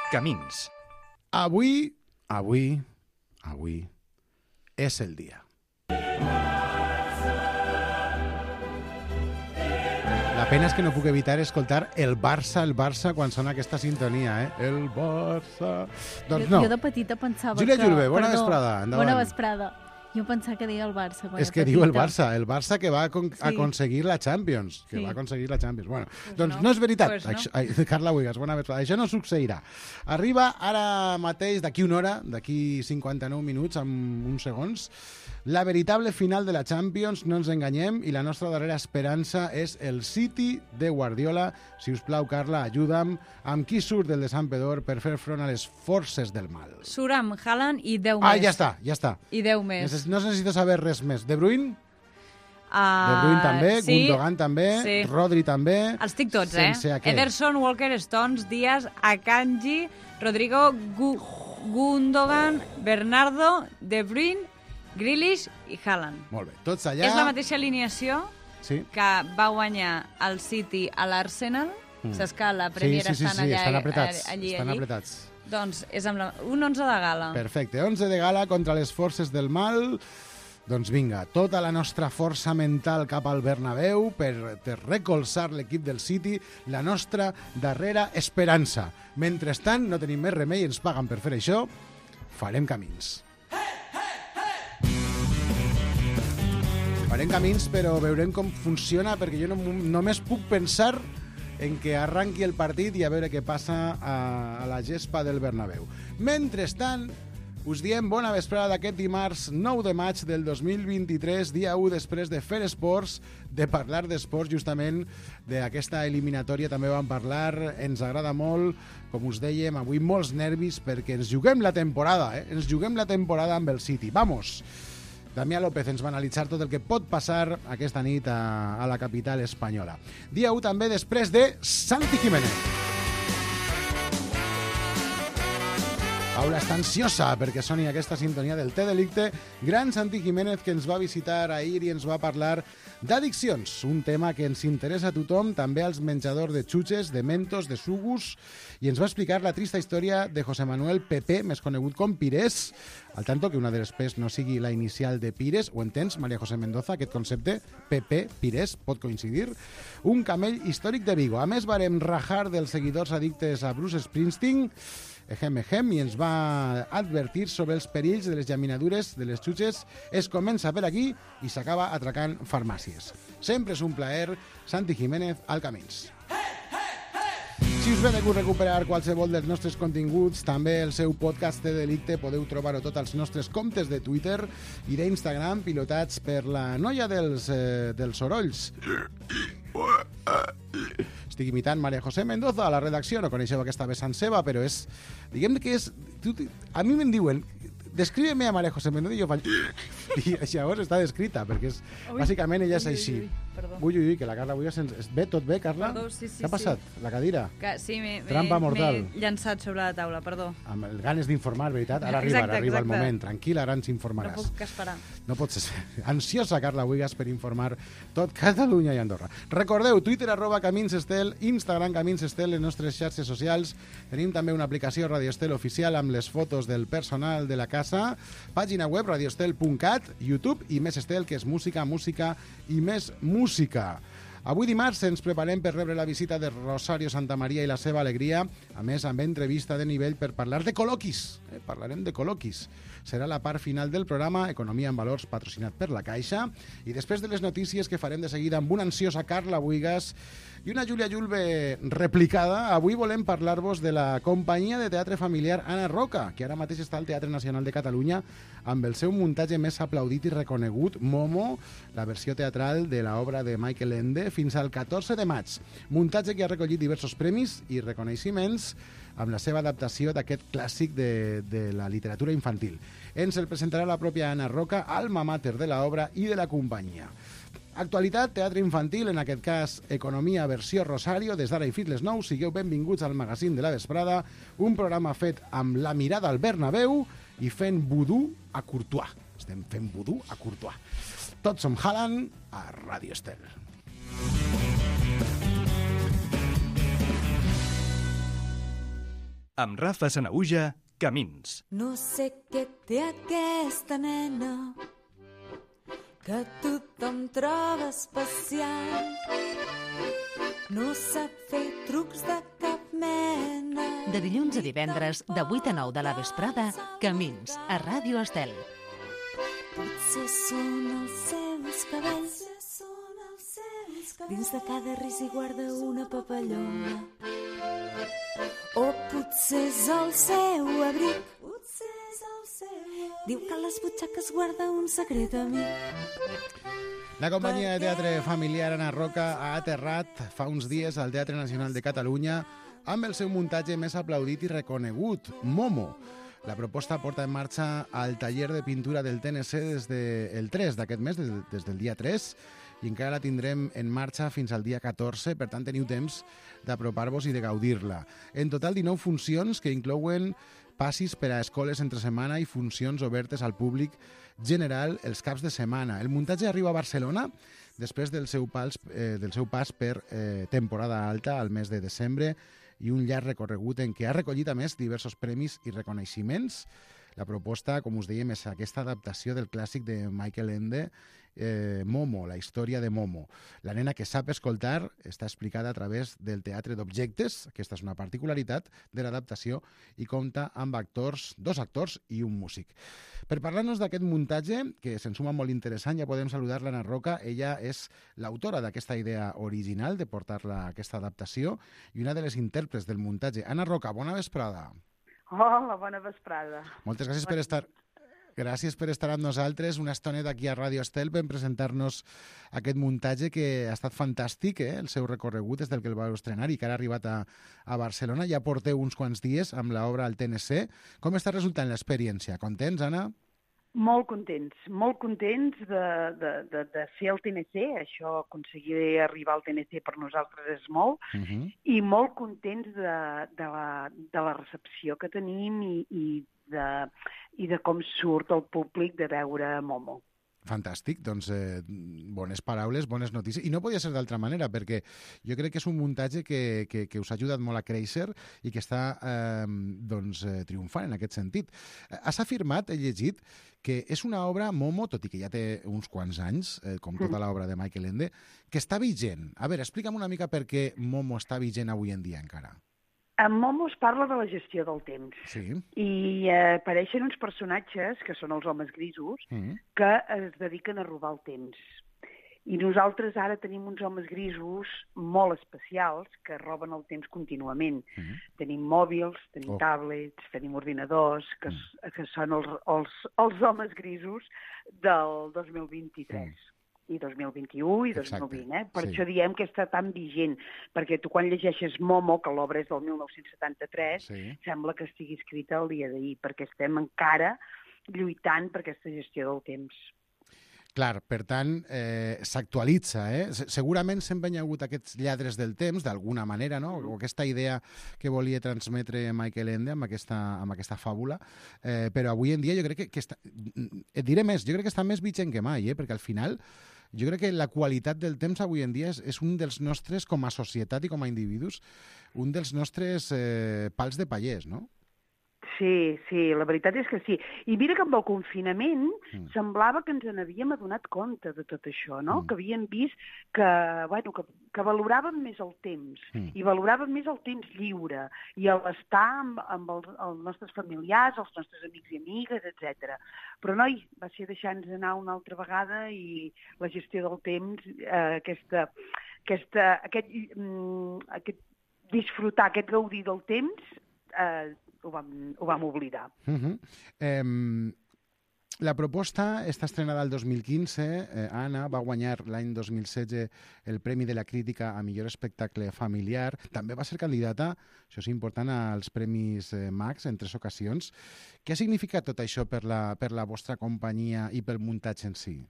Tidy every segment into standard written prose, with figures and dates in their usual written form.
Camins. Avui és el dia. La pena és que no puc evitar escoltar el Barça, quan sona aquesta sintonia, El Barça... Doncs no. Jo de petita pensava Júlia que... Julve, bona vesprada, endavant. Bona vesprada. Jo pensava que deia el Barça quan És que diu el Barça que va aconseguir la Champions. Bueno, doncs no és veritat. Carla Buigas, bona vesprada. Això no succeirà. Arriba ara mateix, d'aquí una hora, d'aquí 59 minuts, amb uns segons, la veritable final de la Champions, no ens enganyem, i la nostra darrera esperança és el City de Guardiola. Si us plau, Carla, ajuda'm. Amb qui surt del de Sant Pedor per fer front a les forces del mal? Surt amb Haaland i 10 més. Ah, ja està. I 10 més. No necessito saber res més. De Bruyne? De Bruyne també, sí. Gundogan també, sí. Rodri també. Els tinc tots, Ederson, Walker, Stones, Díaz, Akanji, Rodrigo, Gundogan, Bernardo, De Bruyne, Grealish i Haaland. Molt bé, tots allà. És la mateixa alineació que va guanyar el City a l'Arsenal. Saps que la Premier estan apretats. Doncs és amb un 11 de gala. Perfecte, 11 de gala contra les forces del mal. Doncs vinga, tota la nostra força mental cap al Bernabéu per recolzar l'equip del City, la nostra darrera esperança. Mentrestant, no tenim més remei, ens paguen per fer això, farem camins. Farem camins, però veurem com funciona, perquè jo només puc pensar en que arranqui el partit i a veure què passa a la gespa del Bernabéu. Mentrestant, us diem bona vesprada d'aquest dimarts 9 de maig del 2023, dia 1 després de fer esports, de parlar d'esports, justament d'aquesta eliminatòria també vam parlar, ens agrada molt, com us dèiem, avui molts nervis perquè ens juguem la temporada, ens juguem la temporada amb el City. Vamos! Damià López ens va analitzar tot el que pot passar aquesta nit a la capital espanyola. Dia 1 també després de Santi Jiménez. Paula està ansiosa perquè soni aquesta sintonia del Té Delicte. Gran Santi Jiménez, que ens va visitar ahir i ens va parlar d'addiccions, un tema que ens interessa a tothom, també als menjadors de xutxes, de mentos, de sugus, i ens va explicar la trista història de José Manuel Pepe, més conegut com Pires, al tanto que una de les P's no sigui la inicial de Pires. Ho entens, María José Mendoza, aquest concepte? Pepe, Pires, pot coincidir? Un camell històric de Vigo. A més, varem rajar dels seguidors addictes a Bruce Springsteen, i ens va advertir sobre els perills de les llaminadures de les xutxes. Es comença per aquí i s'acaba atracant farmàcies. Sempre és un plaer. Santi Jiménez, al Camins. Si us ve de gust recuperar qualsevol dels nostres continguts, també el seu podcast de Delicte, podeu trobar-ho tot als nostres comptes de Twitter i d'Instagram, pilotats per la noia dels sorolls. Estic imitant María José Mendoza a la redacció, no coneixeu aquesta vessant seva, però és... Diguem que és... A mi me'n diuen... Describe-me a María José Mendoza i jo faig... I llavors està descrita, perquè és... Bàsicament ella és així. Ui, que la Carla avui ve tot bé, Carla? Perdó, sí. Què ha passat? La cadira? Sí, Trampa mortal. m'he llançat sobre la taula, perdó. Amb el ganes d'informar, veritat? Ara arriba el moment. Tranquil·la, ara ens informaràs. No puc esperar. No pots ser ansiosa, Carla Buigas, per informar tot Catalunya i Andorra. Recordeu, Twitter, @CaminsEstel, Instagram, CaminsEstel, les nostres xarxes socials. Tenim també una aplicació Radio Estel oficial amb les fotos del personal de la casa. Pàgina web, radioestel.cat, YouTube i Més Estel, que és música i més música. Avui dimarts ens preparem per rebre la visita de Rosario Santamaría i la seva alegria, a més amb entrevista de nivell per parlar de col·loquis. Parlarem de col·loquis. Serà la part final del programa, Economia en Valors, patrocinat per la Caixa, i després de les notícies que farem de seguida amb una ansiosa Carla Buigas i una Júlia Julve replicada, avui volem parlar-vos de la companyia de teatre familiar Ana Roca, que ara mateix està al Teatre Nacional de Catalunya amb el seu muntatge més aplaudit i reconegut, Momo, la versió teatral de l'obra de Michael Ende, fins al 14 de maig. Muntatge que ha recollit diversos premis i reconeixements amb la seva adaptació d'aquest clàssic de la literatura infantil. Ens el presentarà la pròpia Ana Roca, alma mater de l'obra i de la companyia. Actualitat, teatre infantil, en aquest cas Economia versió Rosario, des d'ara i fins les 9. Sigueu benvinguts al magazín de la vesprada, un programa fet amb la mirada al Bernabéu i fent vudú a Courtois. Estem fent vudú a Courtois. Tots som Haaland a Radio Estel. Amb Rafa Sanaüja, Camins. No sé què té aquesta nena que tothom troba especial. No sap fer trucs de cap mena. De dilluns a divendres, de 8 a 9 de la vesprada, Camins, a Ràdio Estel. Potser són els seus cabells. Dins de cada ris hi guarda una papallona. O potser és el seu abric. Diu que a les butxaques guarda un secret amic. La companyia de teatre familiar Ana Roca ha aterrat fa uns dies al Teatre Nacional de Catalunya amb el seu muntatge més aplaudit i reconegut, Momo. La proposta porta en marxa al taller de pintura del TNC des del 3 d'aquest mes, des del dia 3, i encara la tindrem en marxa fins al dia 14, per tant teniu temps d'apropar-vos i de gaudir-la. En total 19 funcions que inclouen passis per a escoles entre setmana i funcions obertes al públic general els caps de setmana. El muntatge arriba a Barcelona després del seu pas per temporada alta al mes de desembre i un llarg recorregut en què ha recollit a més diversos premis i reconeixements. La proposta, com us dèiem, és aquesta adaptació del clàssic de Michael Ende, Momo, la història de Momo. La nena que sap escoltar està explicada a través del teatre d'objectes, aquesta és una particularitat de l'adaptació, i compta amb dos actors i un músic. Per parlar-nos d'aquest muntatge, que se'n suma molt interessant, ja podem saludar l'Anna Roca. Ella és l'autora d'aquesta idea original de portar-la a aquesta adaptació i una de les intèrprets del muntatge. Anna Roca, bona vesprada. Hola, bona vesprada. Moltes gràcies per estar amb nosaltres una estoneta aquí a Ràdio Estel per presentar-nos aquest muntatge que ha estat fantàstic, el seu recorregut des del que el vau estrenar i que ara ha arribat a Barcelona. Ja porteu uns quants dies amb l'obra al TNC. Com està resultant l'experiència? Contents, Anna? Molt contents de fer el TNC, això, aconseguir arribar al TNC per nosaltres és molt, i molt contents de la recepció que tenim i de com surt el públic de veure Momo. Fantàstic, doncs bones paraules, bones notícies. I no podia ser d'altra manera, perquè jo crec que és un muntatge que us ha ajudat molt a créixer i que està triomfant en aquest sentit. Has afirmat, he llegit, que és una obra, Momo, tot i que ja té uns quants anys, com tota l'obra de Michael Ende, que està vigent. A veure, explica'm una mica per què Momo està vigent avui en dia encara. En Momo es parla de la gestió del temps. Sí. I apareixen uns personatges, que són els homes grisos, que es dediquen a robar el temps. I nosaltres ara tenim uns homes grisos molt especials que roben el temps contínuament. Tenim mòbils, tenim tablets, tenim ordinadors, que són els homes grisos del 2023. I 2021 i 2020, Per això diem que està tan vigent, perquè tu quan llegeixes Momo, que l'obra és del 1973, sembla que estigui escrita el dia d'ahir, perquè estem encara lluitant per aquesta gestió del temps. Clar, per tant, s'actualitza, Segurament sempre hi ha hagut aquests lladres del temps, d'alguna manera, no? O aquesta idea que volia transmetre Michael Ende amb aquesta fàbula, però avui en dia jo crec que està... Et diré més, jo crec que està més vigent que mai, perquè al final jo crec que la qualitat del temps avui en dia és un dels nostres, com a societat i com a individus, un dels nostres pals de pallers, no? Sí, la veritat és que sí. I mira que amb el confinament semblava que ens n'havíem adonat compte de tot això, no? Que havíem vist que valoràvem més el temps i valoràvem més el temps lliure i l'estar amb els nostres familiars, els nostres amics i amigues, etc. Però, noi, va ser deixar-nos anar una altra vegada i la gestió del temps, aquest disfrutar, aquest gaudir del temps, ho vam oblidar. La proposta està estrenada el 2015. Anna va guanyar l'any 2016 el Premi de la Crítica a millor espectacle familiar. També va ser candidata, això és important, als Premis Max en 3 ocasions. Què ha significat tot això per la vostra companyia i pel muntatge en si?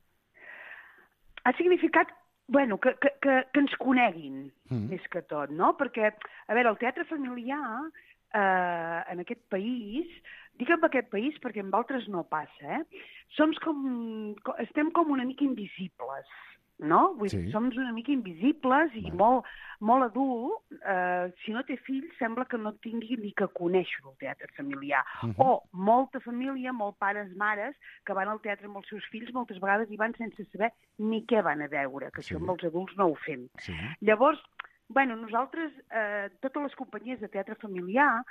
Ha significat que ens coneguin, més que tot, no? Perquè, a veure, el teatre familiar en aquest país, dic en aquest país perquè en altres no passa, estem com una mica invisibles, no? Vull Sí. dir, som una mica invisibles i molt adult. Si no té fills, sembla que no tingui ni que conèixer el teatre familiar. O molta família, molt pares, mares, que van al teatre amb els seus fills, moltes vegades hi van sense saber ni què van a veure, que això amb els adults no ho fem. Sí. Llavors, nosaltres, totes les companyies de teatre familiar,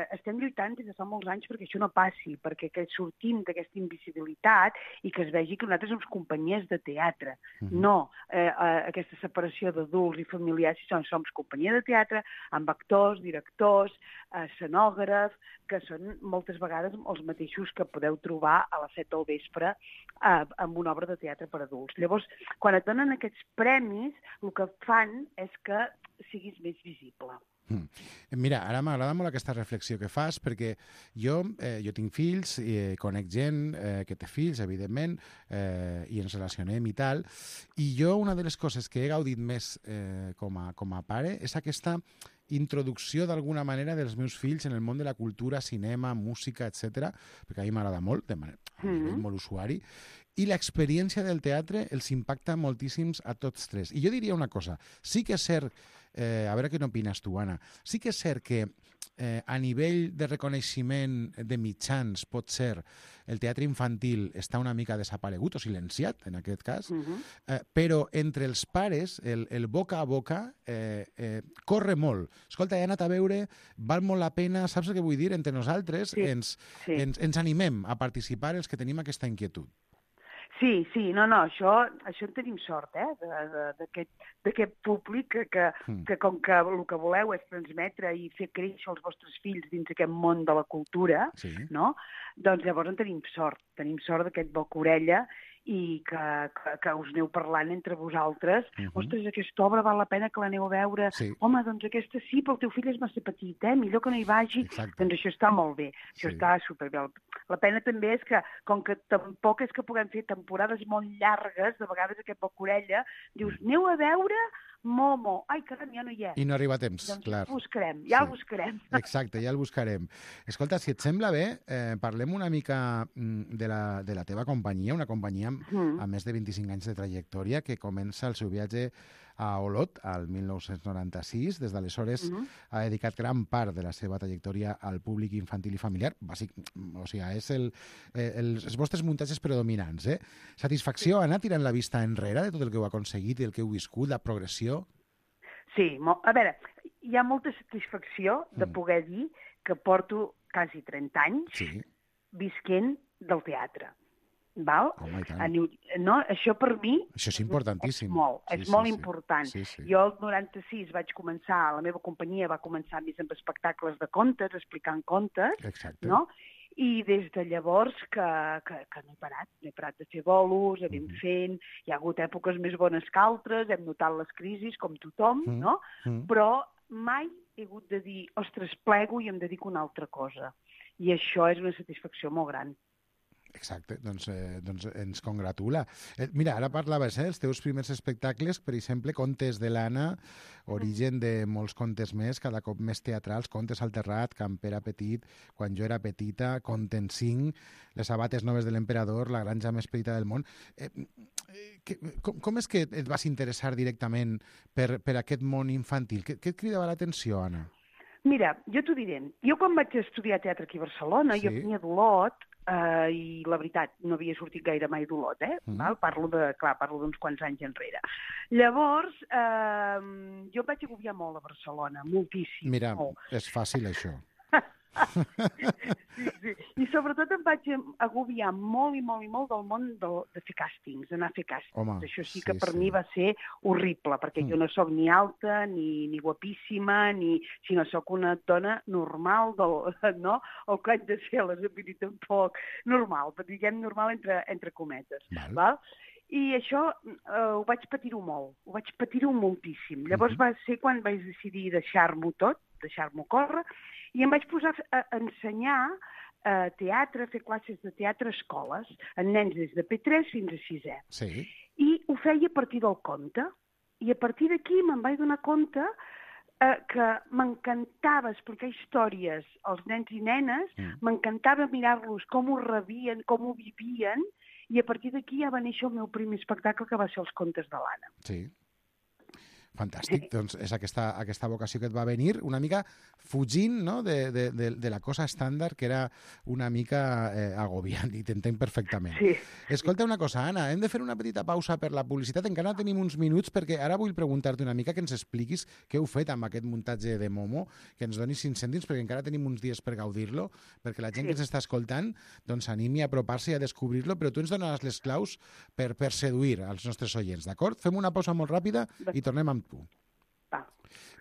estem lluitant des de fa molts anys perquè això no passi, perquè que sortim d'aquesta invisibilitat i que es vegi que nosaltres som companyies de teatre. No aquesta separació d'adults i familiars, som companyia de teatre amb actors, directors, escenògrafs, que són moltes vegades els mateixos que podeu trobar a les 7 del vespre amb una obra de teatre per adults. Llavors, quan et donen aquests premis, el que fan és que siguis més visible. Mira, ara m'agrada molt aquesta reflexió que fas, perquè jo tinc fills, conec gent que té fills, evidentment, i ens relacionem i tal, i jo una de les coses que he gaudit més com a pare és aquesta introducció d'alguna manera dels meus fills en el món de la cultura, cinema, música, etc, perquè a mi m'agrada molt, de manera molt usuari, i l'experiència del teatre els impacta moltíssims a tots tres. I jo diria una cosa, sí que és cert, a veure què n'opines tu, Anna, sí que és cert que a nivell de reconeixement de mitjans, pot ser, el teatre infantil està una mica desaparegut o silenciat, en aquest cas, però entre els pares, el boca a boca corre molt. Escolta, he anat a veure, val molt la pena, saps el que vull dir? Entre nosaltres ens animem a participar els que tenim aquesta inquietud. Sí, no, això en tenim sort, d'aquest públic que com que el que voleu és transmetre i fer créixer els vostres fills dins aquest món de la cultura, no? Doncs llavors en tenim sort d'aquest boca-orella i que us aneu parlant entre vosaltres. Ostres, aquesta obra val la pena que l'aneu a veure. Home, doncs aquesta sí, però el teu fill és massa petit, millor que no hi vagi. Doncs això està molt bé, això està superbé. La pena també és que, com que tampoc és que puguem fer temporades molt llargues, de vegades aquest boca-orella, dius, aneu a veure Momo. Ai, caram, ja no hi és. I no arriba a temps, doncs clar. El buscarem. Exacte, ja el buscarem. Escolta, si et sembla bé, parlem una mica de la teva companyia, una companyia amb més de 25 anys de trajectòria que comença el seu viatge a Olot, al 1996. Des d'aleshores ha dedicat gran part de la seva trajectòria al públic infantil i familiar. O sigui, és els vostres muntatges predominants. Satisfacció, Anna, tirant la vista enrere de tot el que heu aconseguit i el que heu viscut, la progressió? Sí, a veure, hi ha molta satisfacció de poder dir que porto quasi 30 anys visquent del teatre. Val? Home, no, això per mi això és importantíssim. És molt important. Jo el 96 vaig començar, la meva companyia va començar més amb espectacles de contes, explicant contes, no? I des de llavors que no he parat de fer bolos, anem fent, hi ha hagut èpoques més bones que altres, hem notat les crisis com tothom, no? Però mai he hagut de dir, ostres, plego i em dedico a una altra cosa. I això és una satisfacció molt gran. Exacte, doncs ens congratula. Mira, ara parlaves, els teus primers espectacles, per exemple, Contes de l'Anna, origen de molts contes més, cada cop més teatrals, Contes al terrat, Campera petit, Quan jo era petita, Conten 5, Les sabates noves de l'emperador, La granja més petita del món. Com és que et vas interessar directament per aquest món infantil? Què et cridava l'atenció, Anna? Mira, jo t'ho diré. Jo quan vaig estudiar teatre aquí a Barcelona, jo venia d'Olot, i la veritat, no havia sortit gaire mai d'Olot, Parlo d'uns quants anys enrere. Llavors, jo em vaig agobiar molt a Barcelona, moltíssim. Mira, és fàcil això. Sí. I sobretot em vaig agobiar molt i molt del món de fer càstings, d'anar a fer càstings. Home, això sí que per mi va ser horrible, perquè jo no sóc ni alta, ni guapíssima, sinó sóc una dona normal, no? El que haig de ser, les vull dir tampoc normal, diguem normal entre cometes. Val? I això ho vaig patir-ho molt, ho vaig patir-ho moltíssim. Llavors va ser quan vaig decidir deixar-m'ho tot, deixar-m'ho córrer, i em vaig posar a ensenyar teatre, a fer classes de teatre a escoles, en nens des de P3 fins a 6è. Sí. I ho feia a partir del conte. I a partir d'aquí me'n vaig donar compte que m'encantava explicar històries als nens i nenes, m'encantava mirar-los com ho rebien, com ho vivien, i a partir d'aquí ja va néixer el meu primer espectacle, que va ser Els contes de l'Anna. Sí. Fantàstic, doncs és aquesta vocació que et va venir una mica fugint, no?, de la cosa estàndard, que era una mica agobiant, i t'entenc perfectament. Sí. Escolta una cosa, Anna, hem de fer una petita pausa per la publicitat, encara tenim uns minuts, perquè ara vull preguntar-te una mica que ens expliquis què heu fet amb aquest muntatge de Momo, que ens donis 5 cèntims, perquè encara tenim uns dies per gaudir-lo, perquè la gent que ens està escoltant doncs animi a apropar-se i a descobrir-lo, però tu ens donaràs les claus per seduir els nostres oients, d'acord? Fem una pausa molt ràpida i tornem amb tu. Va.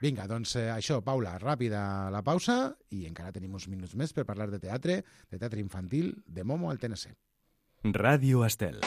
Vinga, doncs això, Paula, ràpida la pausa i encara tenim uns minuts més per parlar de teatre infantil, de Momo al TNC. Ràdio Estel.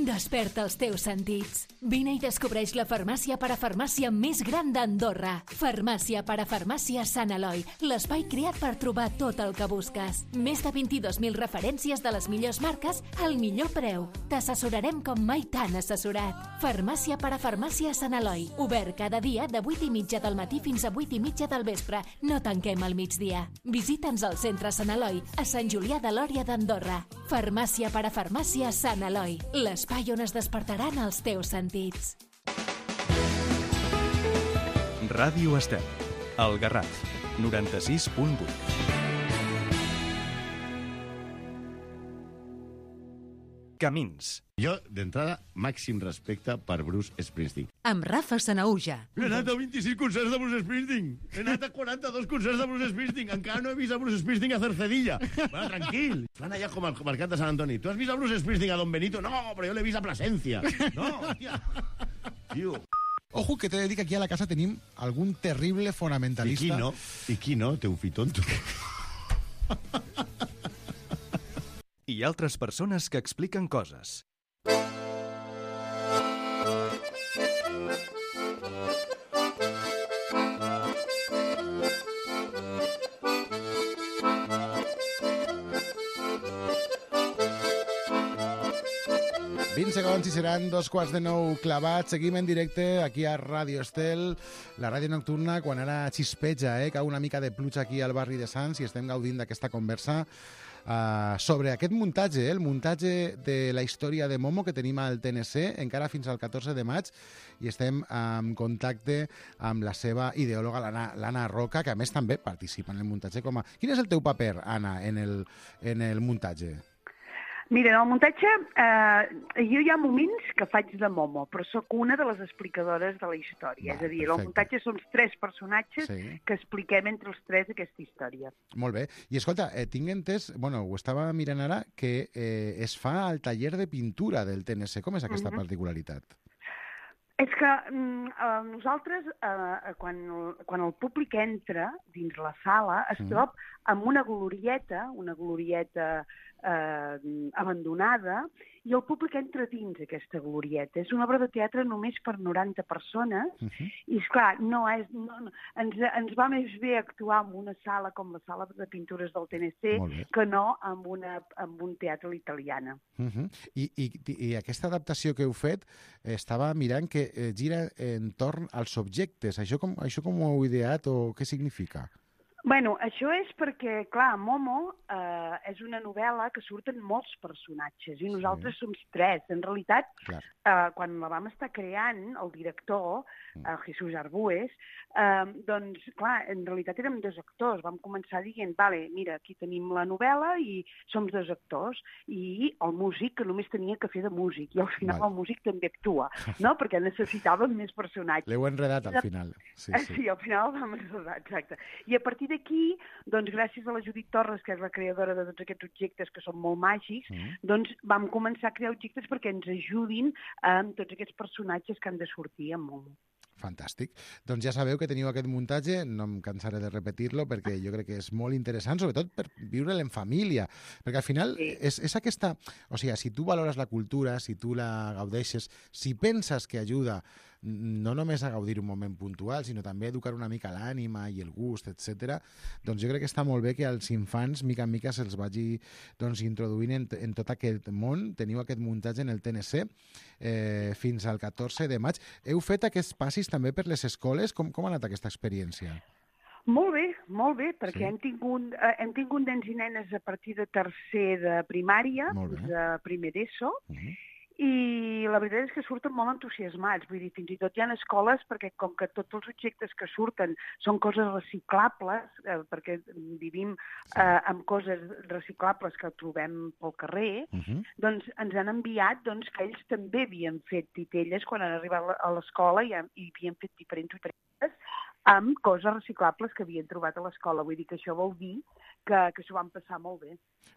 Desperta els teus sentits. Vine i descobreix la farmàcia parafarmàcia més gran d'Andorra. Farmàcia parafarmàcia Sant Eloi, l'espai creat per trobar tot el que busques. Més de 22.000 referències de les millors marques al millor preu. T'assessorarem com mai t'han assessorat. Farmàcia parafarmàcia Sant Eloi, obert cada dia de 8:30 del matí fins a 8:30 del vespre. No tanquem al migdia. Visita'ns al centre Sant Eloi, a Sant Julià de Lòria d'Andorra. Farmàcia parafarmàcia Sant Eloi, l'espai on es despertaran els teus sentits. Ràdio Estel, El Garraf, 96.8. Camins. Jo, d'entrada, màxim respecte per Bruce Springsteen. Amb Rafa Sanauja. He anat a 26 concerts de Bruce Springsteen. He anat a 42 concerts de Bruce Springsteen. Encara no he vist a Bruce Springsteen a Cercedilla. Bueno, tranquil. Fan allà com al Mercat de Sant Antoni. Tu has vist a Bruce Springsteen a Don Benito? No, però jo l'he vist a Plasencia. No, hòstia. Tio. Ojo, que t'he de dir que aquí a la casa tenim algun terrible fonamentalista. I qui no? Té un fitonto. I altres persones que expliquen coses. Segons i seran 8:45 clavats. Seguim en directe aquí a Ràdio Estel, la ràdio nocturna, quan ara xispeja, cau una mica de pluja aquí al barri de Sants i estem gaudint d'aquesta conversa sobre aquest muntatge, el muntatge de la història de Momo que tenim al TNC, encara fins al 14 de maig, i estem en contacte amb la seva ideòloga, l'Anna Roca, que a més també participa en el muntatge. Quin és el teu paper, Anna, en el muntatge? Mira, en el muntatge jo hi ha moments que faig de Momo, però sóc una de les explicadores de la història. És a dir, el muntatge són 3 personatges que expliquem entre els 3 aquesta història. Molt bé. I escolta, tinc entès, ho estava mirant ara, que es fa al taller de pintura del TNC. Com és aquesta particularitat? És que nosaltres, quan el públic entra dins la sala, es troba amb una glorieta abandonada, i el públic entra dins aquesta glorieta. És una obra de teatre només per 90 persones, i esclar, ens va més bé actuar en una sala com la sala de pintures del TNC que no en un teatre a l'italiana. I aquesta adaptació que heu fet, estava mirant que gira entorn als objectes. Això com ho heu ideat o què significa? Bueno, això és perquè, clar, Momo és una novel·la que surten molts personatges i nosaltres som 3. En realitat, quan la vam estar creant, el director, Jesús Arbues, doncs, clar, en realitat érem 2 actors. Vam començar dient, vale, mira, aquí tenim la novel·la i som 2 actors, i el músic, que només tenia que fer de músic, i al final el músic també actua, no? Perquè necessitàvem més personatges. L'heu enredat al final. Sí, al final el vam enredar, exacte. I a partir d'aquí, doncs gràcies a la Judit Torres, que és la creadora de tots aquests objectes que són molt màgics, doncs vam començar a crear objectes perquè ens ajudin amb tots aquests personatges que han de sortir amb Momo. Fantàstic. Doncs ja sabeu que teniu aquest muntatge, no em cansaré de repetir-lo perquè jo crec que és molt interessant, sobretot per viure'l en família, perquè al final és aquesta... O sigui, si tu valores la cultura, si tu la gaudeixes, si penses que ajuda no només a gaudir un moment puntual, sinó també a educar una mica l'ànima i el gust, etc. Doncs jo crec que està molt bé que als infants, mica en mica, se'ls vagi introduint en tot aquest món. Teniu aquest muntatge en el TNC fins al 14 de maig. Heu fet aquests passis també per les escoles? Com ha anat aquesta experiència? Molt bé, perquè hem tingut nens i nenes a partir de tercer de primària, de primer d'ESO, i la veritat és que surten molt entusiasmats. Vull dir, fins i tot hi ha escoles, perquè com que tots els objectes que surten són coses reciclables, perquè vivim amb coses reciclables que trobem pel carrer, doncs ens han enviat que ells també havien fet titelles quan han arribat a l'escola i havien fet diferents amb coses reciclables que havien trobat a l'escola. Vull dir que això vol dir que s'ho van passar molt bé.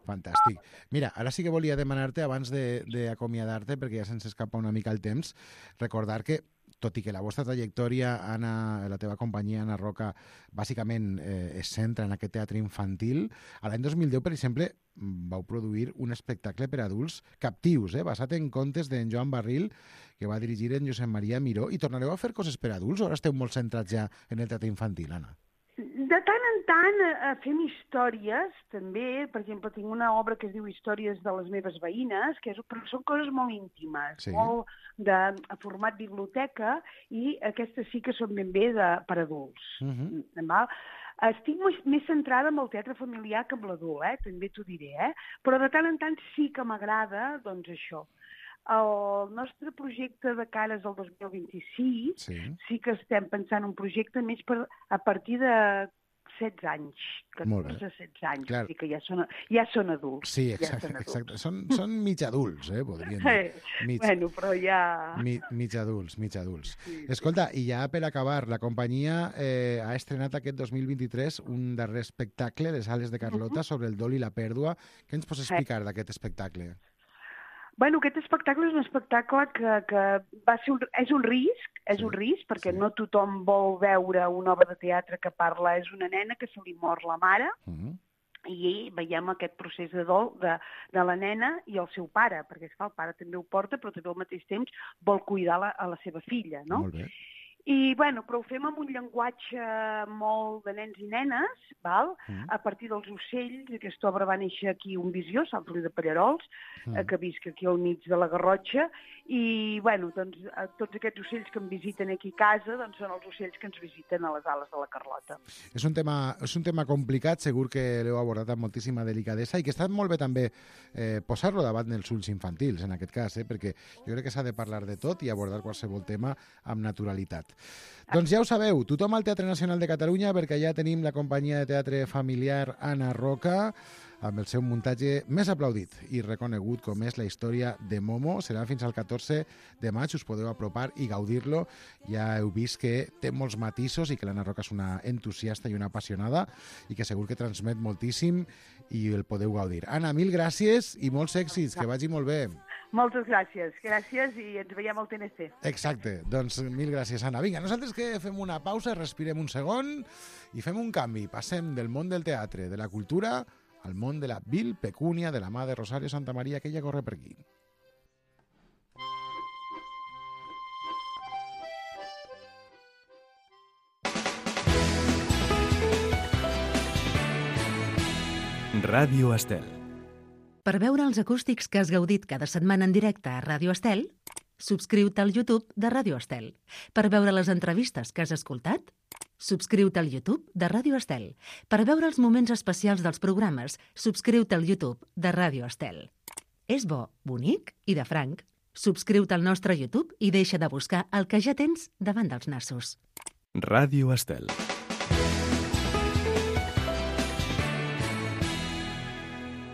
Fantàstic. Mira, ara sí que volia demanar-te, abans d'acomiadar-te, perquè ja se'ns escapa una mica el temps, recordar que, tot i que la vostra trajectòria, Anna, la teva companyia, Anna Roca, bàsicament es centra en aquest teatre infantil, a l'any 2010, per exemple, vau produir un espectacle per adults captius, basat en contes d'en Joan Barril, que va dirigir en Josep Maria Miró, i tornareu a fer coses per adults o ara esteu molt centrats ja en el teatre infantil, Anna? De tant en tant fem històries, també. Per exemple, tinc una obra que es diu Històries de les meves veïnes, però són coses molt íntimes, molt de format biblioteca, i aquestes sí que són ben bé per adults. Estic més centrada en el teatre familiar que en l'adult, també t'ho diré, però de tant en tant sí que m'agrada, doncs, això. El nostre projecte de cares al 2026 sí que estem pensant un projecte més a partir de 16 anys, 14-16 anys, clar. Que ja són adults. Sí, exacte. Són mig adults, podríem dir. Bueno, però ja... Mig adults. Sí. Escolta, i ja per acabar, la companyia ha estrenat aquest 2023 un darrer espectacle, Les ales de Carlota, sobre el dol i la pèrdua. Què ens pots explicar d'aquest espectacle? Bueno, aquest espectacle és un espectacle que és un risc, perquè no tothom vol veure una obra de teatre que parla. És una nena que se li mor la mare, i veiem aquest procés de dol de la nena i el seu pare, perquè el pare també ho porta, però també al mateix temps vol cuidar a la seva filla, no? Molt bé. I, bueno, però ho fem amb un llenguatge molt de nens i nenes, val? A partir dels ocells. Aquesta obra va néixer aquí un Visió, Sant Feliu de Pallerols, que visc aquí al mig de la Garrotxa, i, bueno, doncs, tots aquests ocells que em visiten aquí a casa, doncs són els ocells que ens visiten a les ales de la Carlota. És un tema complicat, segur que l'heu abordat amb moltíssima delicadesa, i que està molt bé també posar-lo davant dels ulls infantils, en aquest cas, perquè jo crec que s'ha de parlar de tot i abordar qualsevol tema amb naturalitat. Doncs ja ho sabeu, tothom al Teatre Nacional de Catalunya, perquè ja tenim la companyia de teatre familiar Anna Roca, amb el seu muntatge més aplaudit i reconegut com és la història de Momo. Serà fins al 14 de maig, us podeu apropar i gaudir-lo. Ja heu vist que té molts matisos i que l'Anna Roca és una entusiasta i una apassionada i que segur que transmet moltíssim i el podeu gaudir. Anna, mil gràcies i molts èxits, que vagi molt bé. Moltes gràcies. Gràcies i ens veiem al TNC. Exacte. Doncs mil gràcies, Anna. Vinga, nosaltres que fem una pausa, respirem un segon i fem un canvi. Passem del món del teatre, de la cultura, al món de la vil pecúnia de la mà de Rosario Santamaría, que ella corre per aquí. Ràdio Estel. Per veure els acústics que has gaudit cada setmana en directe a Ràdio Estel, subscriu-te al YouTube de Ràdio Estel. Per veure les entrevistes que has escoltat, subscriu-te al YouTube de Ràdio Estel. Per veure els moments especials dels programes, subscriu-te al YouTube de Ràdio Estel. És bo, bonic i de franc. Subscriu-te al nostre YouTube i deixa de buscar el que ja tens davant dels nassos. Ràdio Estel.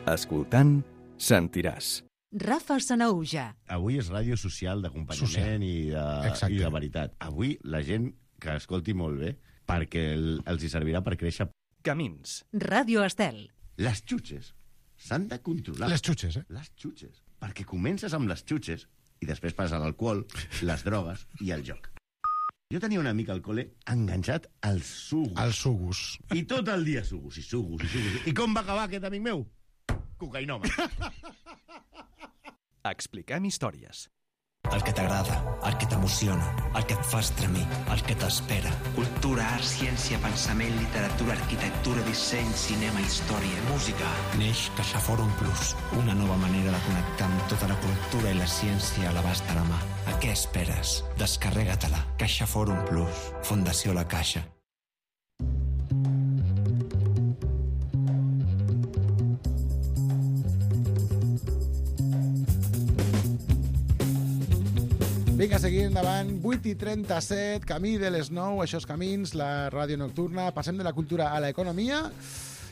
Escoltant, sentiràs. Rafa Sanaúja. Avui és ràdio social, d'acompanyament i de veritat. Avui la gent que escolti molt bé, perquè els hi servirà per créixer. Camins. Ràdio Estel. Les xutxes s'han de controlar. Les xutxes, Les xutxes. Perquè comences amb les xutxes i després passa l'alcohol, les drogues i el joc. Jo tenia un amic al col·le enganxat als sugus. Els sugus. I tot el dia sugus i sugus i sugus. I com va acabar aquest amic meu? Cocainòman. Expliquem històries. El que t'agrada, el que t'emociona, el que et fa estremir, el que t'espera. Cultura, art, ciència, pensament, literatura, arquitectura, disseny, cinema, història, música. Neix CaixaForum Plus, una nova manera de connectar amb tota la cultura i la ciència a l'abast de la mà. A què esperes? Descarrega-te-la. CaixaForum Plus, Fundació La Caixa. Vinga, seguim endavant. 8:37, camí de les 9, això és Camins, la ràdio nocturna. Passem de la cultura a l'economia.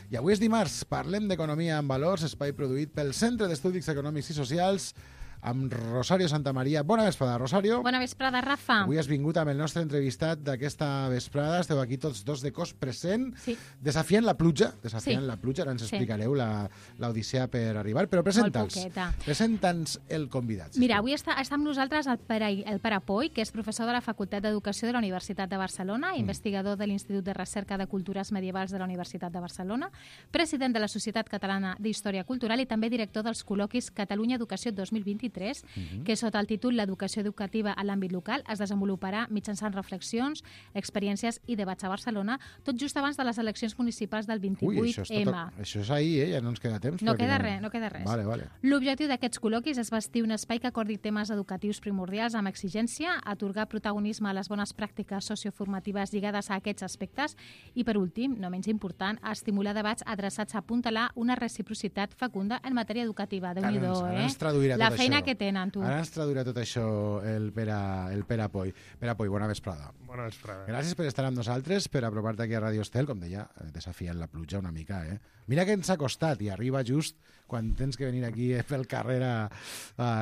I avui és dimarts, parlem d'economia en valors, espai produït pel Centre d'Estudis Econòmics i Socials, amb Rosario Santamaría. Bona vesprada, Rosario. Bona vesprada, Rafa. Avui has vingut amb el nostre entrevistat d'aquesta vesprada. Esteu aquí tots dos de cos present, desafiant la pluja. Ara ens explicareu l'odissea per arribar, però presenta'ns el convidat. Mira, avui està amb nosaltres el Pere Poy, que és professor de la Facultat d'Educació de la Universitat de Barcelona, investigador de l'Institut de Recerca de Cultures Medievals de la Universitat de Barcelona, president de la Societat Catalana d'Història Cultural i també director dels col·loquis Catalunya Educació 2023, que sota el títol L'educació educativa a l'àmbit local es desenvoluparà mitjançant reflexions, experiències i debats a Barcelona, tot just abans de les eleccions municipals del 28M. Això és ahir, ja no ens queda temps. No queda res. Vale. L'objectiu d'aquests col·loquis és bastir un espai que acordi temes educatius primordials amb exigència, atorgar protagonisme a les bones pràctiques socioformatives lligades a aquests aspectes i, per últim, no menys important, estimular debats adreçats a apuntalar una reciprocitat fecunda en matèria educativa. Déu-n'hi-do, La feina que tenen, tu. Ara ens traduirà tot això el Pere Poy. Pere Poy, bona vesprada. Bona vesprada. Gràcies per estar amb nosaltres, per apropar-te aquí a Radio Estel, com deia, desafiant la pluja una mica. Mira que ens ha costat i arriba just quan tens que venir aquí pel carrer a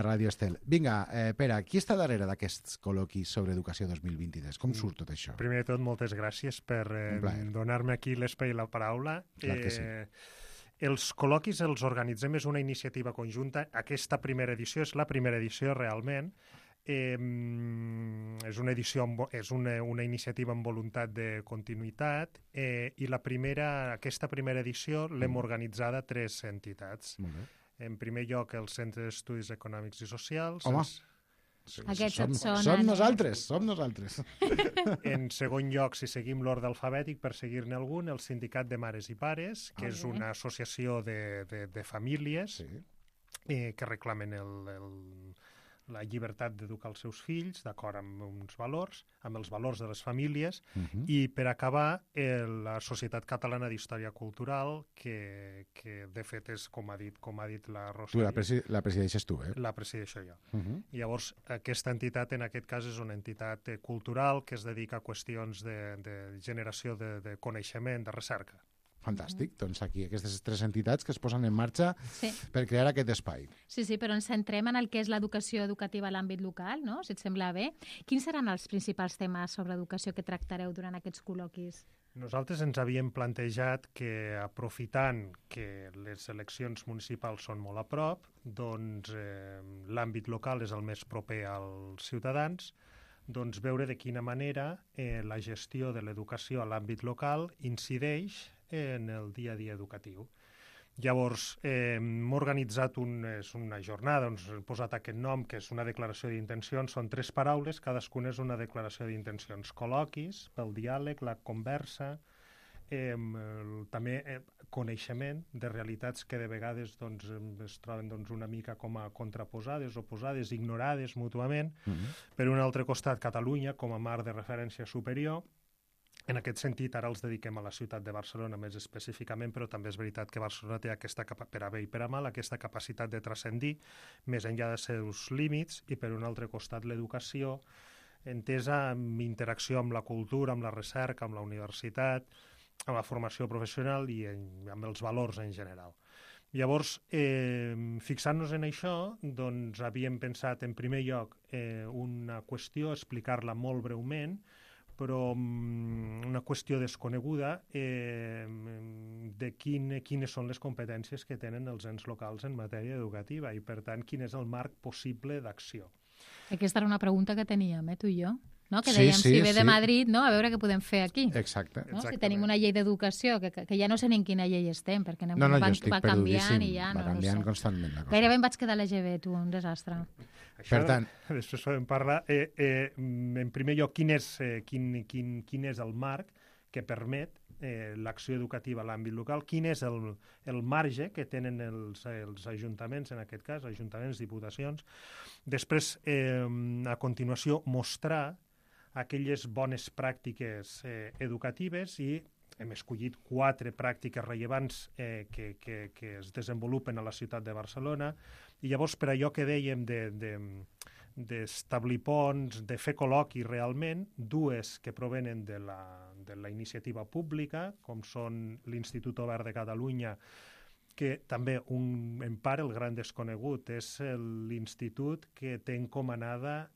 Radio Estel. Vinga, Pere, qui està darrere d'aquests col·loquis sobre educació 2023? Com surt tot això? Primer de tot, moltes gràcies per donar-me aquí l'espai i la paraula. Clar que sí. Els col·loquis els organitzem, és una iniciativa conjunta. Aquesta primera edició és la primera edició realment. És una iniciativa amb voluntat de continuïtat i aquesta primera edició l'hem organitzada 3 entitats. En primer lloc, el Centre d'Estudis Econòmics i Socials. Home, som nosaltres. En segon lloc, si seguim l'ordre alfabètic, per seguir-ne algun, el Sindicat de Mares i Pares, que és una associació de famílies que reclamen la llibertat d'educar els seus fills d'acord amb uns valors, amb els valors de les famílies, i per acabar la Societat Catalana d'Història Cultural, que de fet és, com ha dit la Rosa. La presideixes tu, eh? La presideixo jo. Llavors, aquesta entitat, en aquest cas, és una entitat cultural que es dedica a qüestions de generació de coneixement, de recerca. Fantàstic. Doncs aquí aquestes 3 entitats que es posen en marxa per crear aquest espai. Sí, però ens centrem en el que és l'educació educativa a l'àmbit local, no? Si et sembla bé. Quins seran els principals temes sobre educació que tractareu durant aquests col·loquis? Nosaltres ens havíem plantejat que, aprofitant que les eleccions municipals són molt a prop, doncs l'àmbit local és el més proper als ciutadans, doncs veure de quina manera la gestió de l'educació a l'àmbit local incideix en el dia a dia educatiu. Llavors, hem organitzat una jornada, ens hem posat aquest nom, que és una declaració d'intencions, són 3 paraules, cadascuna és una declaració d'intencions. Col·loquis, pel diàleg, la conversa, també coneixement de realitats que de vegades es troben una mica com a contraposades, oposades, ignorades mútuament. Per un altre costat, Catalunya com a marc de referència superior. En aquest sentit, ara els dediquem a la ciutat de Barcelona més específicament, però també és veritat que Barcelona té per a bé i per a mal aquesta capacitat de transcendir més enllà dels seus límits, i per un altre costat l'educació entesa en interacció amb la cultura, amb la recerca, amb la universitat, amb la formació professional i amb els valors en general. Llavors, fixant-nos en això, doncs havíem pensat en primer lloc una qüestió, explicar-la molt breument, però una qüestió desconeguda de quines són les competències que tenen els ens locals en matèria educativa i, per tant, quin és el marc possible d'acció. Aquesta era una pregunta que teníem, tu i jo. No? Que dèiem, si ve de Madrid, no? A veure què podem fer aquí. Exacte. No? Si tenim una llei d'educació, que ja no sé ni en quina llei estem, perquè va canviant i ja no sé. Constantment. Gairebé em vaig quedar a l'EGB, tu, un desastre. Això, per tant, després podem parlar. En primer lloc, quin és el marc que permet l'acció educativa a l'àmbit local, quin és el marge que tenen els ajuntaments, en aquest cas, ajuntaments, diputacions. Després, a continuació, mostrar aquelles bones pràctiques educatives i hem escollit 4 pràctiques rellevants que es desenvolupen a la ciutat de Barcelona i llavors per allò que dèiem d'establir ponts, de fer col·loquis realment, dues que provenen de la iniciativa pública, com són l'Institut Obert de Catalunya, que també, en part, el gran desconegut, és l'institut que té encomanada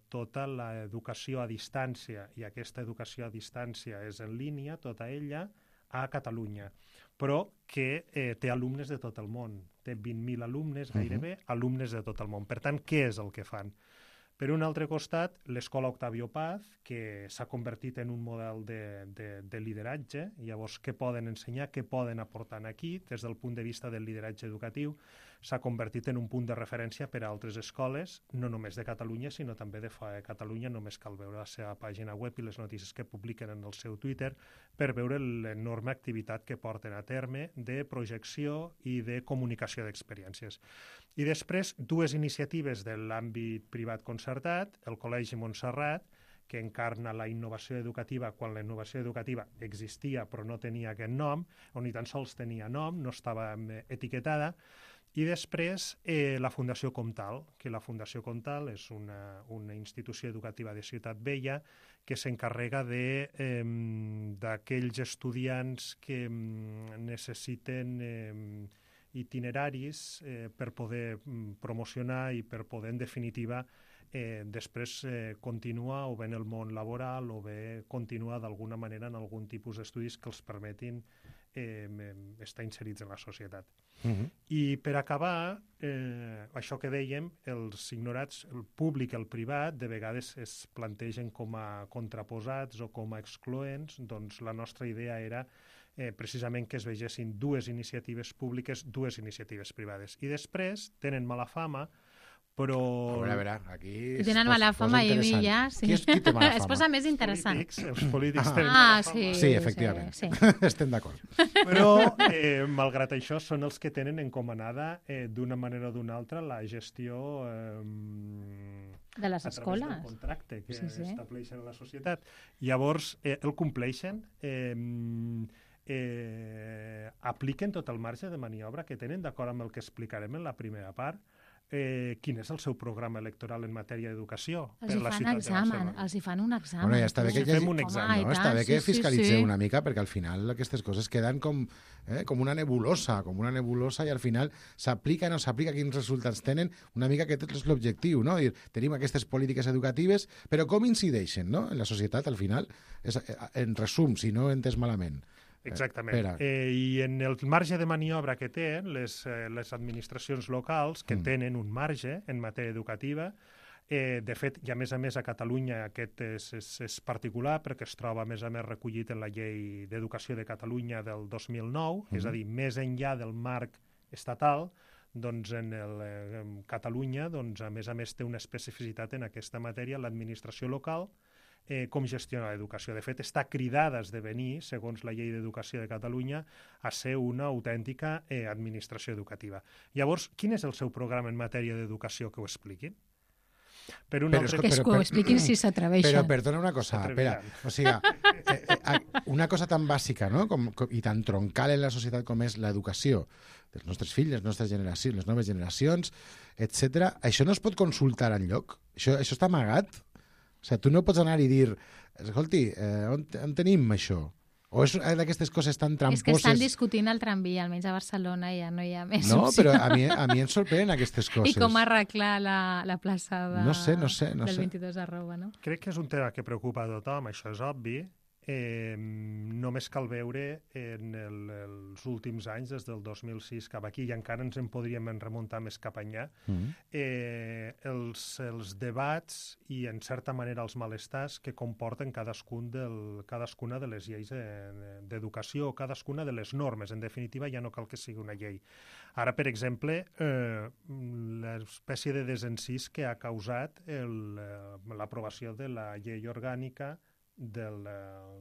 tota l'educació a distància, i aquesta educació a distància és en línia, tota ella, a Catalunya, però que té alumnes de tot el món. Té 20.000 alumnes, gairebé, alumnes de tot el món. Per tant, què és el que fan? Per un altre costat, l'Escola Octavio Paz, que s'ha convertit en un model de lideratge. Llavors, què poden ensenyar, què poden aportar aquí? Des del punt de vista del lideratge educatiu, s'ha convertit en un punt de referència per a altres escoles, no només de Catalunya, sinó també de fora de Catalunya. Només cal veure la seva pàgina web i les notícies que publiquen en el seu Twitter per veure l'enorme activitat que porten a terme de projecció i de comunicació d'experiències. I després, dues iniciatives de l'àmbit privat concertat, el Col·legi Montserrat, que encarna la innovació educativa quan la innovació educativa existia però no tenia aquest nom, o ni tan sols tenia nom, no estava etiquetada. I després la Fundació Comtal, que la Fundació Comtal és una institució educativa de Ciutat Vella que s'encarrega d'aquells estudiants que necessiten itineraris per poder promocionar i per poder, en definitiva, després continuar o bé en el món laboral o bé continuar d'alguna manera en algun tipus d'estudis que els permetin estar inserits en la societat. I per acabar, això que dèiem, els ignorats, el públic i el privat, de vegades es plantegen com a contraposats o com a excloents. Doncs la nostra idea era precisament que es vegessin dues iniciatives públiques, dues iniciatives privades. I després tenen mala fama, però... A veure, aquí... Tenen mala fama i ja... Qui té mala fama? Es posa més interessant. Els polítics tenen mala fama. Sí, efectivament. Sí. Estem d'acord. Però, malgrat això, són els que tenen encomanada d'una manera o d'una altra la gestió de les escoles. A través del contracte que estableixen a la societat. Llavors, el compleixen, apliquen tot el marge de maniobra que tenen, d'acord amb el que explicarem en la primera part. Quin és el seu programa electoral en matèria d'educació per la ciutat de Barcelona? Els hi fan un examen. Bueno, ja està bé que fem un examen. Està bé que fiscalitzeu una mica, perquè al final aquestes coses queden com una nebulosa, i al final s'aplica o no s'aplica, quins resultats tenen, una mica aquest és l'objectiu, no? Tenim aquestes polítiques educatives, però com incideixen, no?, en la societat al final? En resum, si no ho he entès malament. Exactament. I en el marge de maniobra que tenen les administracions locals, que tenen un marge en matèria educativa, de fet, i a més a Catalunya aquest és particular perquè es troba a més recollit en la Llei d'Educació de Catalunya del 2009, és a dir, més enllà del marc estatal, doncs en Catalunya, a més té una especificitat en aquesta matèria, l'administració local, com gestiona l'educació. De fet, està cridada a esdevenir, segons la Llei d'Educació de Catalunya, a ser una autèntica administració educativa. Llavors, quin és el seu programa en matèria d'educació, que ho expliquin? Que ho expliquin si s'atreveixen. Però perdona una cosa, espera. O sigui, una cosa tan bàsica, no?, i tan troncal en la societat com és l'educació dels nostres fills, les nostres generacions, les noves generacions, etc. Això no es pot consultar enlloc? Això està amagat? O sigui, tu no pots anar i dir, escolti, on tenim això? O és d'aquestes coses tan tramposes... És que estan discutint el tramvia, almenys a Barcelona ja no hi ha més opció. No, però a mi em sorprenen aquestes coses. I com arreglar la plaça del 22 @ no? Crec que és un tema que preocupa a tothom, això és obvi. Només cal veure en els últims anys, des del 2006 cap aquí, i encara ens en podríem remuntar més cap enllà, els debats i, en certa manera, els malestars que comporten cadascuna de les lleis d'educació, cadascuna de les normes. En definitiva, ja no cal que sigui una llei. Ara, per exemple, l'espècie de desencís que ha causat l'aprovació de la llei orgànica del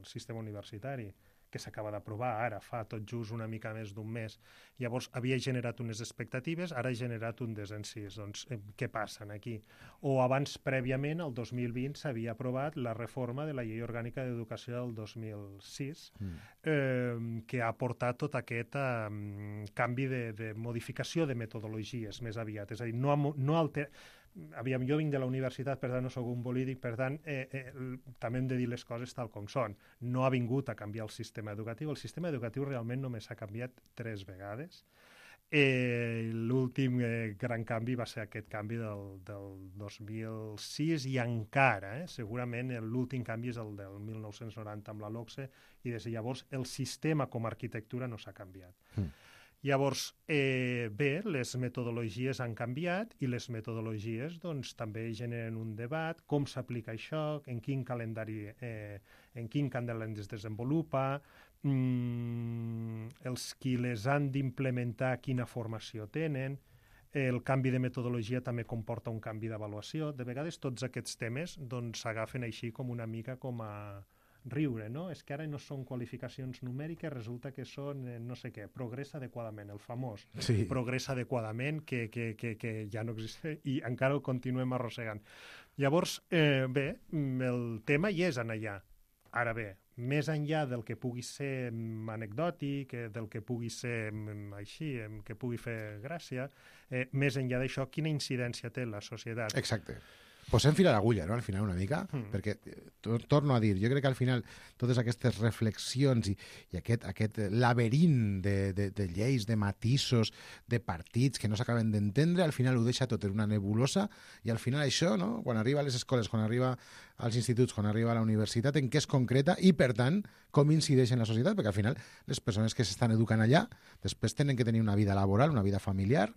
sistema universitari, que s'acaba d'aprovar ara, fa tot just una mica més d'un mes. Llavors, havia generat unes expectatives, ara ha generat un desencís. Doncs, què passa aquí? O abans, prèviament, el 2020, s'havia aprovat la reforma de la Llei Orgànica d'Educació del 2006, que ha portat tot aquest canvi de modificació de metodologies, més aviat. És a dir, jo vinc de la universitat, per tant no sóc un polític, per tant també hem de dir les coses tal com són. No ha vingut a canviar el sistema educatiu. El sistema educatiu realment només s'ha canviat 3 vegades. L'últim gran canvi va ser aquest canvi del 2006 i encara, segurament l'últim canvi és el del 1990 amb la LOCSE i des de llavors el sistema com a arquitectura no s'ha canviat. Llavors, bé, les metodologies han canviat i les metodologies doncs, també generen un debat, com s'aplica això, en quin calendari es desenvolupa, els qui les han d'implementar quina formació tenen, el canvi de metodologia també comporta un canvi d'avaluació. De vegades tots aquests temes s'agafen així com una mica com a riure, no? És que ara no són qualificacions numèriques, resulta que són no sé què, progressa adequadament, el famós progressa adequadament que ja no existeix i encara el continuem arrossegant. Llavors, bé, el tema hi és en allà. Ara bé, més enllà del que pugui ser anecdòtic, del que pugui ser així, que pugui fer gràcia, més enllà d'això, quina incidència té la societat? Exacte. Posem fil a l'agulla, no?, al final, una mica, perquè, torno a dir, jo crec que al final totes aquestes reflexions i aquest laberint de lleis, de matisos, de partits que no s'acaben d'entendre, al final ho deixa tot en una nebulosa i al final això, no?, quan arriba a les escoles, quan arriba als instituts, quan arriba a la universitat, en què es concreta i, per tant, com incideix en la societat, perquè al final les persones que s'estan educant allà després tenen que tenir una vida laboral, una vida familiar,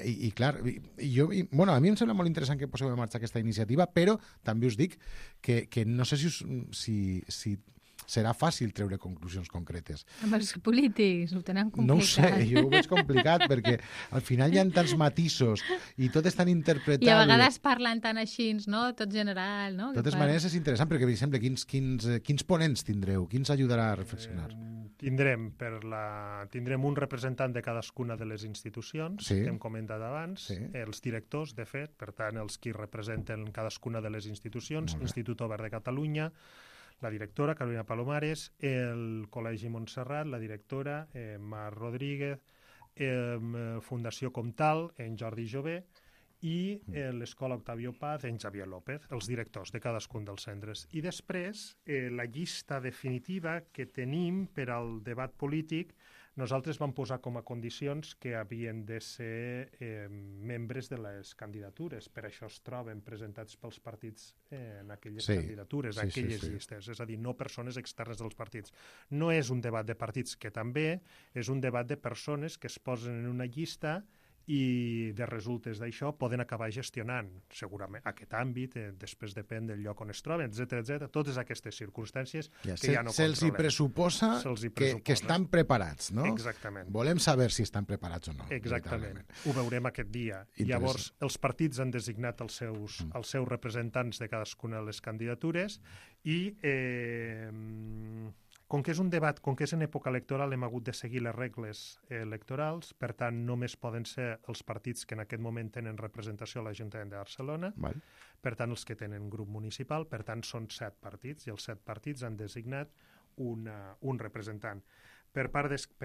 i clar, a mi em sembla molt interessant que poseu en marxa aquesta iniciativa, però també us dic que no sé si serà fàcil treure conclusions concretes. Amb els polítics ho tenen complicat. No ho sé, jo ho veig complicat perquè al final hi ha tants matisos i tot és tan interpretable. I a vegades parlen tan així, no? Tot general, no? De totes maneres és interessant perquè, per exemple, quins ponents tindreu? Qui ens ajudarà a reflexionar? Tindrem un representant de cadascuna de les institucions que hem comentat abans, els directors, de fet, per tant, els qui representen cadascuna de les institucions, Institut Obert de Catalunya, la directora, Carolina Palomares, el Col·legi Montserrat, la directora, Mar Rodríguez, Fundació Comtal, en Jordi Jové, i l'Escola Octavio Paz, en Xavier López, els directors de cadascun dels centres. I després, la llista definitiva que tenim per al debat polític, nosaltres vam posar com a condicions que havien de ser membres de les candidatures. Per això es troben presentats pels partits en aquelles candidatures, en aquelles llistes. És a dir, no persones externes dels partits. No és un debat de partits, que també és un debat de persones que es posen en una llista i de resultes d'això poden acabar gestionant segurament aquest àmbit, després depèn del lloc on es troben, etc. Totes aquestes circumstàncies que ja no controlem. Se'ls hi pressuposa que estan preparats, no? Exactament. Volem saber si estan preparats o no. Exactament. Ho veurem aquest dia. Llavors, els partits han designat els seus representants de cadascuna de les candidatures i com que és un debat, com que és en època electoral, hem hagut de seguir les regles electorals, per tant, només poden ser els partits que en aquest moment tenen representació a l'Ajuntament de Barcelona, per tant, els que tenen grup municipal, per tant, són 7 partits, i els 7 partits han designat un representant. Per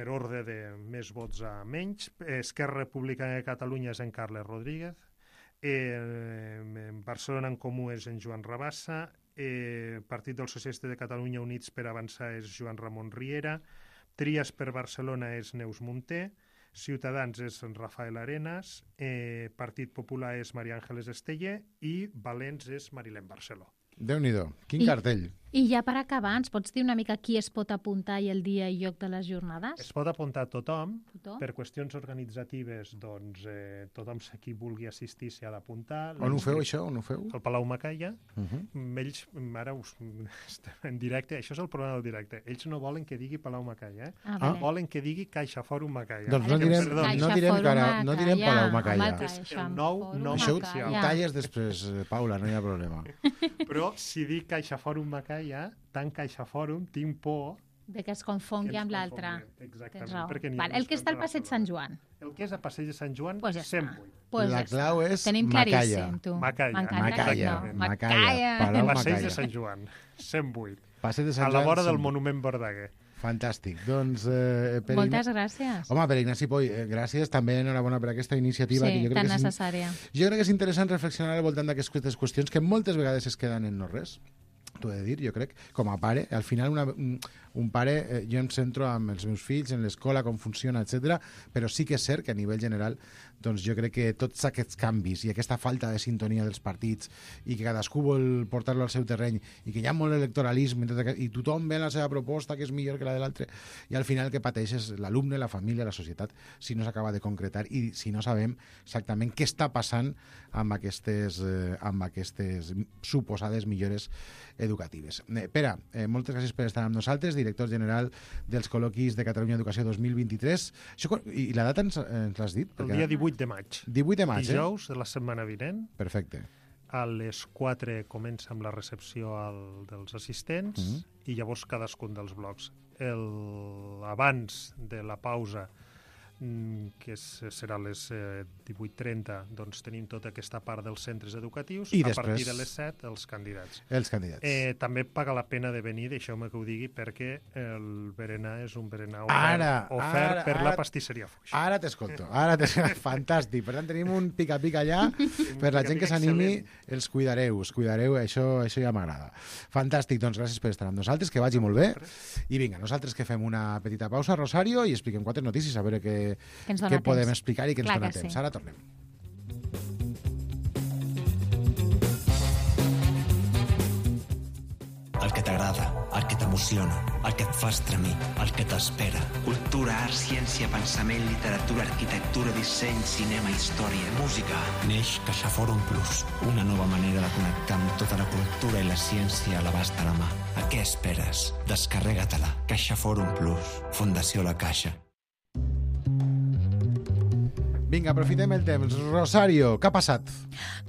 ordre de més vots a menys, Esquerra Republicana de Catalunya és en Carles Rodríguez, Barcelona en Comú és en Joan Rabassa, Partit dels Socialistes de Catalunya Units per Avançar és Joan Ramon Riera, Trias per Barcelona és Neus Munté, Ciutadans és Rafael Arenas, Partit Popular és Maria Àngeles Esteller i Valents és Marilén Barceló. Déu-n'hi-do, quin cartell. I ja per acabar, ens pots dir una mica qui es pot apuntar i el dia i lloc de les jornades? Es pot apuntar tothom. Per qüestions organitzatives, doncs, tothom qui vulgui assistir s'hi ha d'apuntar. On ho feu, això? On ho feu? Al Palau Macaya. Ells, ara estem en directe, això és el problema del directe. Ells no volen que digui Palau Macaya, volen que digui Caixa Fòrum Macaya. Doncs no direm Palau Macaya. El nou això ho talles després, Paula, no hi ha problema. Però si dic Caixa Fòrum Macaya, tant Caixa Fòrum, tinc por de que es confongui amb l'altre. Exactament. El que està al Passeig Sant Joan. El que és a Passeig de Sant Joan, 108. La clau és tenim claríssim, tu. Macaya. Passeig de Sant Joan, 108. A la vora del Monument Verdaguer. Fantàstic. Doncs, moltes gràcies. Home, per Ignasi Poy, gràcies. També enhorabona per aquesta iniciativa. Sí, que jo crec tan que necessària. Jo crec que és interessant reflexionar al voltant d'aquestes qüestions que moltes vegades es queden en no res. T'ho he de dir, jo crec, com a pare. Al final, un pare, jo em centro amb els meus fills, en l'escola, com funciona, etc. Però sí que és cert que a nivell general doncs jo crec que tots aquests canvis i aquesta falta de sintonia dels partits i que cadascú vol portar-lo al seu terreny i que hi ha molt electoralisme i tothom ve la seva proposta que és millor que la de l'altre i al final el que pateix és l'alumne, la família, la societat, si no s'acaba de concretar i si no sabem exactament què està passant amb aquestes suposades millores educatives. Pere, moltes gràcies per estar amb nosaltres, director general dels col·loquis de Catalunya Educació 2023. I la data ens l'has dit? El dia 18 de maig. 18 de maig, Dijous de la setmana vinent. Perfecte. A les 4 comença amb la recepció dels assistents i llavors cadascun dels blocs. Abans de la pausa, que serà a les 18:30, doncs tenim tota aquesta part dels centres educatius. I a després, partir de les 7, els candidats. També paga la pena de venir, deixeu-me que ho digui, perquè el berenar és un berenar ofert per la pastisseria Foix. Ara t'escolto. Fantàstic. Per tant, tenim un pica-pica allà. Per la gent que s'animi, els cuidareu, això ja m'agrada. Fantàstic, doncs gràcies per estar amb nosaltres, que vagi molt bé. I vinga, nosaltres que fem una petita pausa, Rosario, i expliquem 4 notícies, a veure què podem explicar i què ens dona temps. Ara tornem. El que t'agrada, el que t'emociona, el que et fa estremir, el que t'espera. Cultura, art, ciència, pensament, literatura, arquitectura, disseny, cinema, història, música. Neix CaixaForum Plus, una nova manera de connectar amb tota la cultura i la ciència a l'abast de la mà. A què esperes? Descarrega-te-la. CaixaForum Plus. Fundació La Caixa. Vinga, aprofitem el temps. Rosario, què ha passat?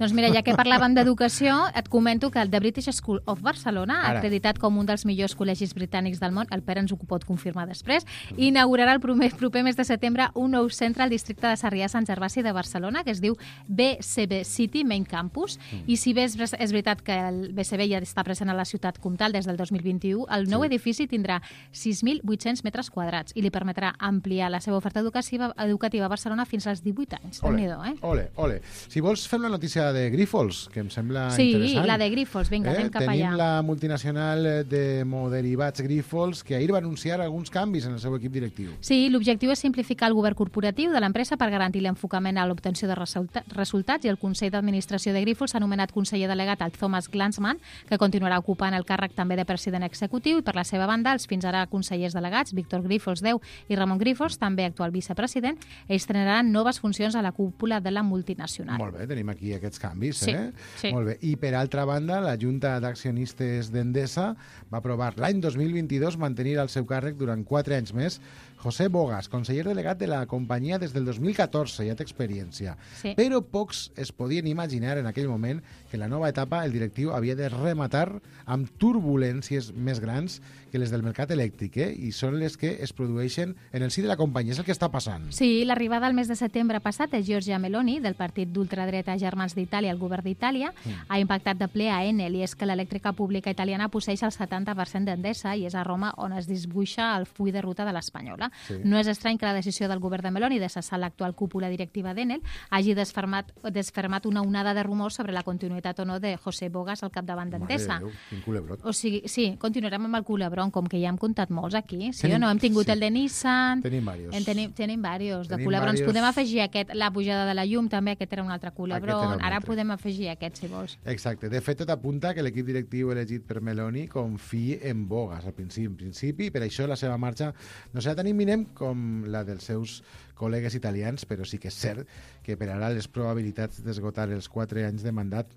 Doncs mira, ja que parlàvem d'educació, et comento que el The British School of Barcelona, acreditat com un dels millors col·legis britànics del món, el Pere ens ho pot confirmar després, inaugurarà el proper mes de setembre un nou centre al districte de Sarrià-Sant Gervasi de Barcelona, que es diu BCB City Main Campus, i si bé és veritat que el BCB ja està present a la ciutat comtal des del 2021, el nou edifici tindrà 6.800 metres quadrats i li permetrà ampliar la seva oferta educativa a Barcelona fins als 18 anys. Ole. Si vols, fem la notícia de Grifols, que em sembla interessant. Sí, la de Grifols. Vinga, anem cap allà. Tenim la multinacional d'hemoderivats Grifols, que ahir va anunciar alguns canvis en el seu equip directiu. Sí, l'objectiu és simplificar el govern corporatiu de l'empresa per garantir l'enfocament a l'obtenció de resultats, i el Consell d'Administració de Grifols s'ha anomenat conseller delegat al Thomas Glanzman, que continuarà ocupant el càrrec també de president executiu, i per la seva banda, els fins ara consellers delegats, Víctor Grifols Deu i Ramon Grifols, també actual vicepresident, estrenaran noves funcions a la cúpula de la multinacional. Molt bé, tenim aquí aquests canvis. Sí. Molt bé. I per altra banda, la Junta d'Accionistes d'Endesa va aprovar l'any 2022 mantenir al seu càrrec durant 4 anys més José Bogas, conseller delegat de la companyia des del 2014, ja té experiència. Sí. Però pocs es podien imaginar en aquell moment que la nova etapa el directiu havia de rematar amb turbulències més grans que les del mercat elèctric, i són les que es produeixen en el si de la companyia. És el que està passant. Sí, l'arribada al mes de setembre passat de Giorgia Meloni, del partit d'ultradreta Germans d'Itàlia al govern d'Itàlia, ha impactat de ple a Enel, i és que l'elèctrica pública italiana posseix el 70% d'Endesa i és a Roma on es dibuixa el full de ruta de l'Espanyola. Sí. No és estrany que la decisió del govern de Meloni de cessar l'actual cúpula directiva d'Enel hagi desfermat una onada de rumors sobre la continuïtat o no de José Bogas al capdavant d'Endesa. Quin culebrot. O sigui, sí, continuarem amb el culebron, com que ja hem comptat molts aquí. Sí o no? Hem tingut el de Nissan. Tenim diversos. Tenim diversos de culebrons. Podem afegir aquest, la pujada de la llum, també, aquest era un altre culebron. Ara podem afegir aquest, si vols. Exacte. De fet, tot apunta que l'equip directiu elegit per Meloni confia en Bogas al principi, per això la seva marxa no serà tan imminent com la dels seus col·legues italians, però sí que és cert que per ara les probabilitats d'esgotar els 4 anys de mandat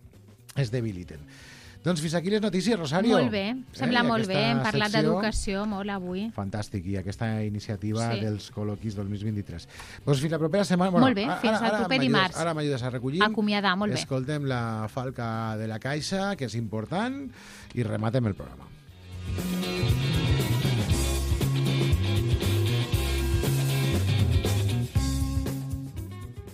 es debiliten. Doncs fins aquí les notícies, Rosario. Molt bé, sembla molt bé. Hem parlat d'educació molt avui. Fantàstic, i aquesta iniciativa dels col·loquis 2023. Doncs fins la propera setmana. Molt bé, fins al proper dimarts. Ara m'ajudes a recollir. Acomiadar, molt bé. Escoltem la falca de la Caixa, que és important, i rematem el programa.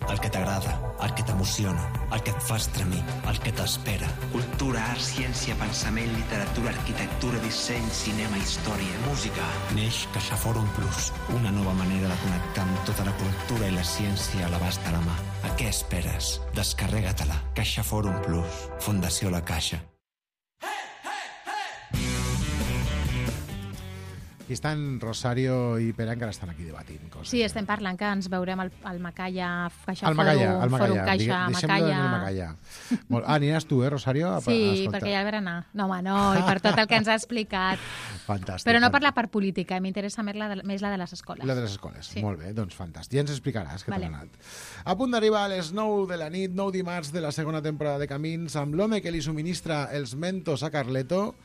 El que t'agrada, el que t'emociona, el que et fa estremir, el que t'espera. Cultura, art, ciència, pensament, literatura, arquitectura, disseny, cinema, història, música. Neix CaixaForum Plus, una nova manera de connectar amb tota la cultura i la ciència a l'abast de la mà. A què esperes? Descarrega-te-la. CaixaForum Plus. Fundació La Caixa. I estan Rosario i Pere encara estan aquí debatint coses. Sí, estem parlant que ens veurem al Macaya, Caixa Al Macaya, Fòrum Caixa, deixem-lo en el Macaya. Aniràs tu, Rosario? Sí, perquè ja el berenar. No, home, no, i per tot el que ens ha explicat. Fantàstic. Però no per la part política, m'interessa més la de les escoles. La de les escoles, sí. Molt bé, doncs fantàstic. Ja ens explicaràs què t'ha anat. A punt d'arribar a les 9 de la nit, 9 dimarts de la segona temporada de Camins, amb l'home que li subministra els mentos a Carleto.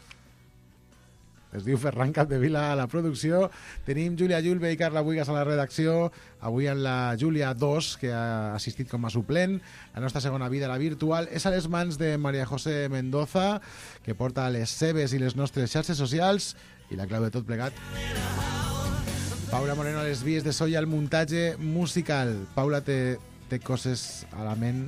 Es diu Ferran Capdevila a la producció. Tenim Júlia Julve i Carla Buigas a la redacció. Avui amb la Júlia 2, que ha assistit com a suplent. La nostra segona vida, la virtual, és a les mans de María José Mendoza, que porta les seves i les nostres xarxes socials i la clau de tot plegat. Paula Moreno a les vies de so i al muntatge musical. Paula té coses a la ment,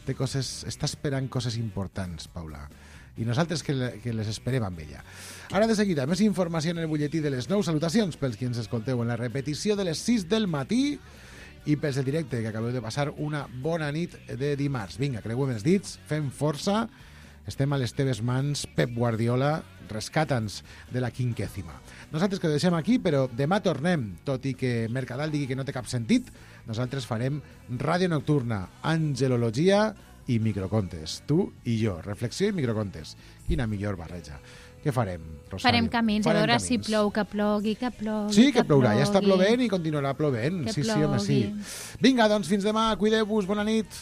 està esperant coses importants, Paula. I nosaltres que les esperem amb ella. Ara de seguida, més informació en el butlletí de les 9. Salutacions pels qui ens escolteu en la repetició de les 6 del matí i pels del directe, que acabeu de passar una bona nit de dimarts. Vinga, creuem els dits, fem força, estem a les teves mans. Pep Guardiola, rescata'ns de la quinquècima. Nosaltres que ho deixem aquí, però demà tornem, tot i que Mercadal digui que no té cap sentit, nosaltres farem ràdio nocturna, angelologia i microcontes. Tu i jo. Reflexió i microcontes. Quina millor barreja. Què farem, Rosario? Farem camins, a veure si plou, que plogui, que plogui. Sí, que plourà. Ja està plovent i continuarà plovent. Sí, home, sí. Vinga, doncs fins demà. Cuideu-vos. Bona nit.